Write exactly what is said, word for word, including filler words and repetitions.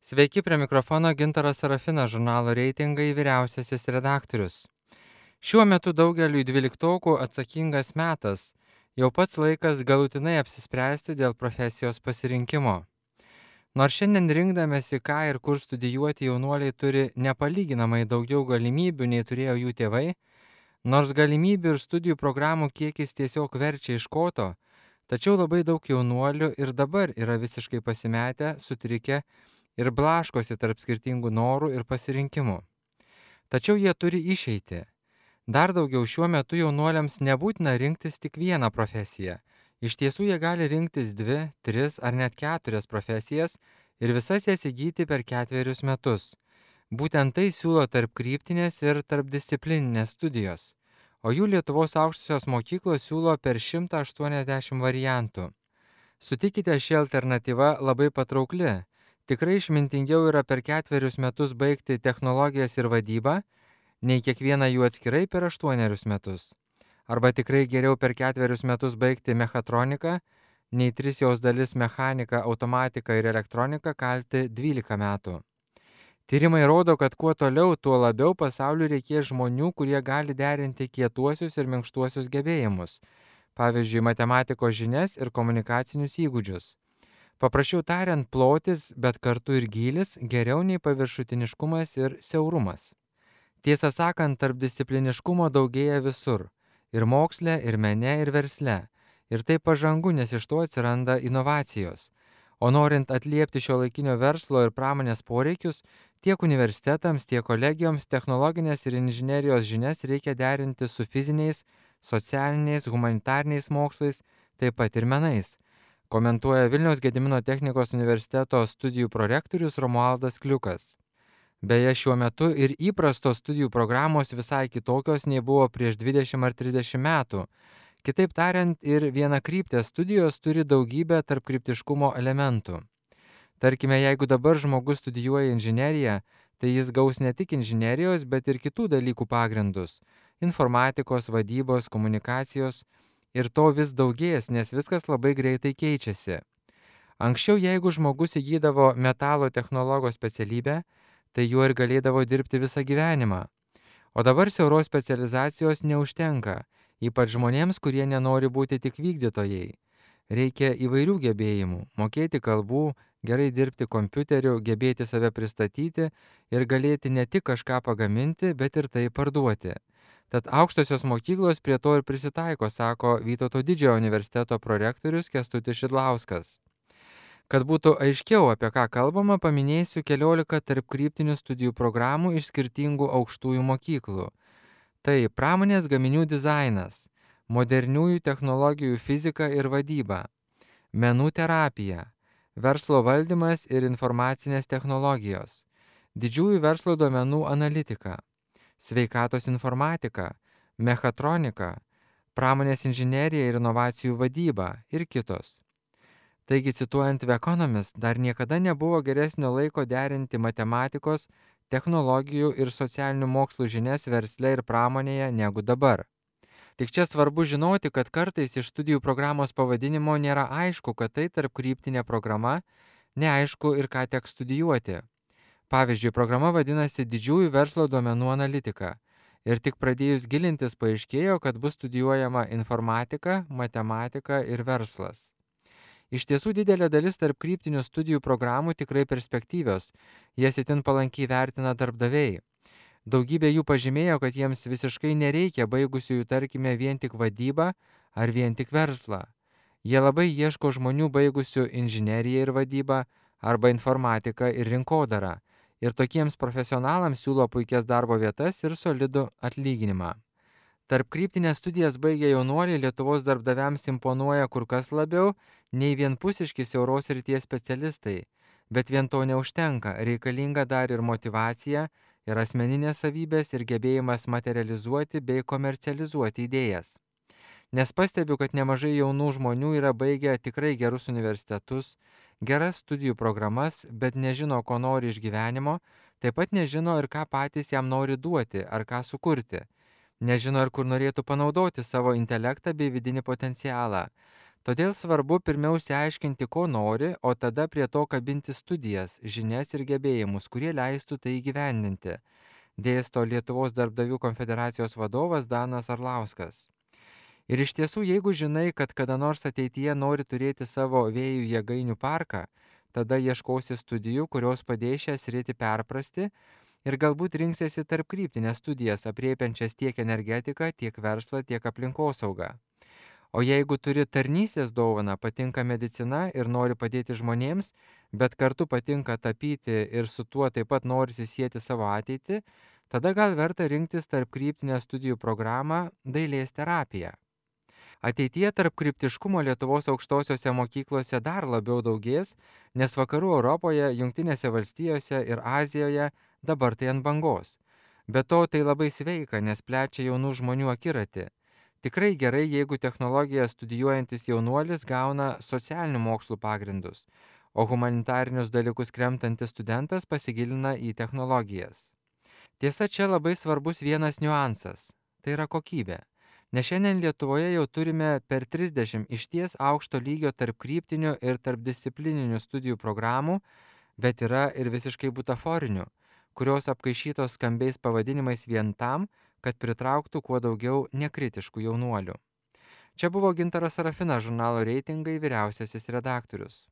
Sveiki, prie mikrofono Gintaras Sarafinas, žurnalo Reitingai vyriausiasis redaktorius. Šiuo metu daugeliui dvyliktokų atsakingas metas, jau pats laikas galutinai apsispręsti dėl profesijos pasirinkimo. Nors šiandien rinkdamėsi, ką ir kur studijuoti, jaunuoliai turi nepalyginamai daugiau galimybių nei turėjo jų tėvai, nors galimybių ir studijų programų kiekis tiesiog verčia iš koto, tačiau labai daug jaunuolių ir dabar yra visiškai pasimetę, sutrikę ir blaškosi tarp skirtingų norų ir pasirinkimų. Tačiau jie turi išeitį. Dar daugiau, šiuo metu jaunuoliams nebūtina rinktis tik vieną profesiją. Iš tiesų jie gali rinktis dvi, tris ar net keturias profesijas ir visas jas įgyti per ketverius metus. Būtent tai siūlo tarpkryptinės ir tarpdisciplininės studijos, o jų Lietuvos aukštosios mokyklos siūlo per šimtą aštuoniasdešimt variantų. Sutikite, ši alternatyva labai patraukli. Tikrai išmintingiau yra per ketverius metus baigti technologijas ir vadybą, nei kiekvieną jų atskirai per aštuonerius metus. Arba tikrai geriau per ketverius metus baigti mechatroniką, nei tris jos dalis mechaniką, automatiką ir elektroniką kalti dvylika metų. Tyrimai rodo, kad kuo toliau, tuo labiau pasauliu reikės žmonių, kurie gali derinti kietuosius ir minkštuosius gebėjimus, pavyzdžiui, matematikos žinias ir komunikacinius įgūdžius. Paprasčiau tariant, plotis, bet kartu ir gylis geriau nei paviršutiniškumas ir siaurumas. Tiesą sakant, tarpdiscipliniškumo daugėja visur – ir moksle, ir mene, ir versle. Ir tai pažangu, nes iš to atsiranda inovacijos. O norint atliepti šiuolaikinio verslo ir pramonės poreikius, tiek universitetams, tiek kolegijoms technologinės ir inžinerijos žinias reikia derinti su fiziniais, socialiniais, humanitariniais mokslais, taip pat ir menais, komentuoja Vilniaus Gedimino technikos universiteto studijų prorektorius Romualdas Kliukas. Beje, šiuo metu ir įprastos studijų programos visai kitokios nei buvo prieš dvidešimt ar trisdešimt metų. Kitaip tariant, ir vienakryptės studijos turi daugybę tarpkryptiškumo elementų. Tarkime, jeigu dabar žmogus studijuoja inžineriją, tai jis gaus ne tik inžinerijos, bet ir kitų dalykų pagrindus – informatikos, vadybos, komunikacijos. Ir to vis daugės, nes viskas labai greitai keičiasi. Anksčiau, jeigu žmogus įgydavo metalo technologo specialybę, tai juo ir galėdavo dirbti visą gyvenimą. O dabar siauros specializacijos neužtenka, ypač žmonėms, kurie nenori būti tik vykdytojai. Reikia įvairių gebėjimų – mokėti kalbų, gerai dirbti kompiuteriu, gebėti save pristatyti ir galėti ne tik kažką pagaminti, bet ir tai parduoti. Tad aukštosios mokyklos prie to ir prisitaiko, sako Vytauto Didžiojo universiteto prorektorius Kęstutis Šidlauskas. Kad būtų aiškiau, apie ką kalbama, paminėsiu keliolika tarpkryptinių studijų programų iš skirtingų aukštųjų mokyklų. Tai pramonės gaminių dizainas, moderniųjų technologijų fizika ir vadyba, menų terapija, verslo valdymas ir informacinės technologijos, didžiųjų verslo duomenų analitika, sveikatos informatika, mechatronika, pramonės inžinerija ir inovacijų vadyba ir kitos. Taigi, cituojant The Economist, dar niekada nebuvo geresnio laiko derinti matematikos, technologijų ir socialinių mokslų žinias versle ir pramonėje negu dabar. Tik čia svarbu žinoti, kad kartais iš studijų programos pavadinimo nėra aišku, kad tai tarpkryptinė programa, neaišku ir ką teks studijuoti. Pavyzdžiui, programa vadinasi Didžiųjų verslo duomenų analitika ir tik pradėjus gilintis paaiškėjo, kad bus studijuojama informatika, matematika ir verslas. Iš tiesų didelė dalis tarpkryptinių studijų programų tikrai perspektyvios, jas itin palankiai vertina darbdaviai. Daugybė jų pažymėjo, kad jiems visiškai nereikia baigusiųjų, tarkime, vien tik vadybą ar vien tik verslą. Jie labai ieško žmonių baigusių inžineriją ir vadybą arba informatiką ir rinkodarą. Ir tokiems profesionalams siūlo puikias darbo vietas ir solidų atlyginimą. Tarpkryptinės studijas baigę jaunuoliai Lietuvos darbdaviams imponuoja kur kas labiau nei vienpusiški siauros srities specialistai, bet vien to neužtenka, reikalinga dar ir motyvacija, ir asmeninės savybės, ir gebėjimas materializuoti bei komercializuoti idėjas. Nes pastebiu, kad nemažai jaunų žmonių yra baigę tikrai gerus universitetus, geras studijų programas, bet nežino, ko nori iš gyvenimo, taip pat nežino ir ką patys jam nori duoti ar ką sukurti. Nežino ir kur norėtų panaudoti savo intelektą bei vidinį potencialą. Todėl svarbu pirmiau išsiaiškinti, ko nori, o tada prie to kabinti studijas, žinias ir gebėjimus, kurie leistų tai įgyvendinti, dėsto Lietuvos darbdavių konfederacijos vadovas Danas Arlauskas. Ir iš tiesų, jeigu žinai, kad kada nors ateityje nori turėti savo vėjų jėgainių parką, tada ieškosi studijų, kurios padės šią sritį perprasti ir galbūt rinksiesi tarp kryptinės studijas apriepiančias tiek energetiką, tiek verslą, tiek aplinkosaugą. O jeigu turi tarnystės dovaną, patinka medicina ir nori padėti žmonėms, bet kartu patinka tapyti ir su tuo taip pat norisi sieti savo ateitį, tada gal verta rinktis tarp kryptinę studijų programą dailės terapija. Ateityje tarp kryptiškumo Lietuvos aukštosiose mokyklose dar labiau daugės, nes vakarų Europoje, Jungtinėse valstijose ir Azijoje dabar tai ant bangos. Be to tai labai sveika, nes plečia jaunų žmonių akiratį. Tikrai gerai, jeigu technologiją studijuojantis jaunuolis gauna socialinių mokslų pagrindus, o humanitarinius dalykus kremtantis studentas pasigilina į technologijas. Tiesa, čia labai svarbus vienas niuansas – tai yra kokybė. Nes šiandien Lietuvoje jau turime per trisdešimt išties aukšto lygio tarp kryptinių ir tarpdisciplininių studijų programų, bet yra ir visiškai butaforinių, kurios apkaišytos skambiais pavadinimais vien tam, kad pritrauktų kuo daugiau nekritiškų jaunuolių. Čia buvo Gintaras Sarafinas, žurnalo Reitingai vyriausiasis redaktorius.